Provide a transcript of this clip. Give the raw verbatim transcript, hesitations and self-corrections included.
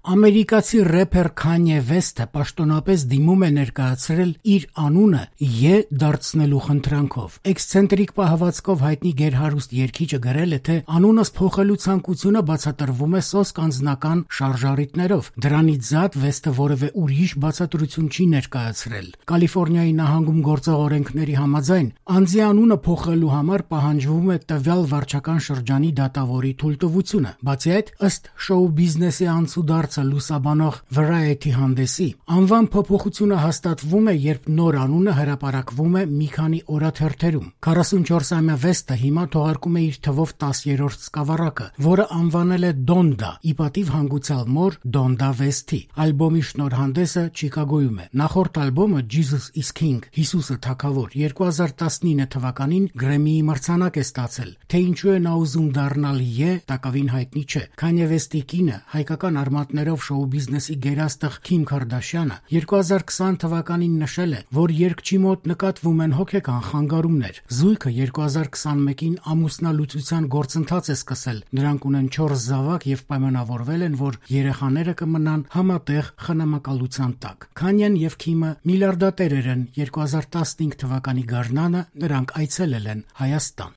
Ամերիկացի рэփեր Քանյե Վեսթը պաշտոնապես դիմում է ներկայացրել իր անունը Ե դարձնելու խնդրանքով։ Էքսցենտրիկ պահվածքով հայտնի գերհարուստ երգիչը գրել է, թե անունս փոխելու ցանկությունը բացատրվում է սոսկ անձնական շարժառիթներով։ Դրանից զատ Վեսթը որևէ ուրիշ բացատրություն չի ներկայացրել։ Կալիֆոռնիայի նահանգում գործող օրենքների համաձայն անձի անունը փոխելու համար պահանջվում է տվյալ վարչական շրջանի դատավորի թույլտվությունը։ Բացի այդ, ըստ շոու բիզնեսի անցուդարձ լուսաբանող Variety հանդեսի, անվան փոփոխությունը հաստատվում է, երբ նոր անունը հրապարակվում է մի քանի օրաթերթերում։ քառասունչորսամյա Վեսթը հիմա թողարկում է իր թվով տասերորդ սկավառակը, որը անվանել է Donda, ի պատիվ հանգուցյալ մոր Donda Վեսթի։ Ալբոմի շնորհանդեսը Չիկագոյում է։ Նախորդ ալբոմը Jesus is King, Հիսուսը թագավոր, երկու հազար տասնինը թվականին Գրեմմիի մրցանակ է ստացել։ Թե ինչու է նա ուզում դառնալ Ե, տակավին հայտնի չէ։ Քանյե Վեսթի կինը, հայկական արմատներով շոու բիզնեսի գերաստղ Քիմ Քարդաշյանը երկու հազար քսան թվականին նշել է, որ երգչի մոտ նկատվում են հոգեկան խանգարումներ։ Զույգը երկու հազար քսանմեկին ամուսնալուծության գործընթաց է սկսել։ Նրանք ունեն չորս զավակ եւ պայմանավորվել են, որ երեխաները կմնան համատեղ խնամակալության տակ։ Քանյեն եւ Քիմը միլիարդատերեր են։ երկու հազար տասնհինգ թվականի գարնանը նրանք այցելել են Հայաստան։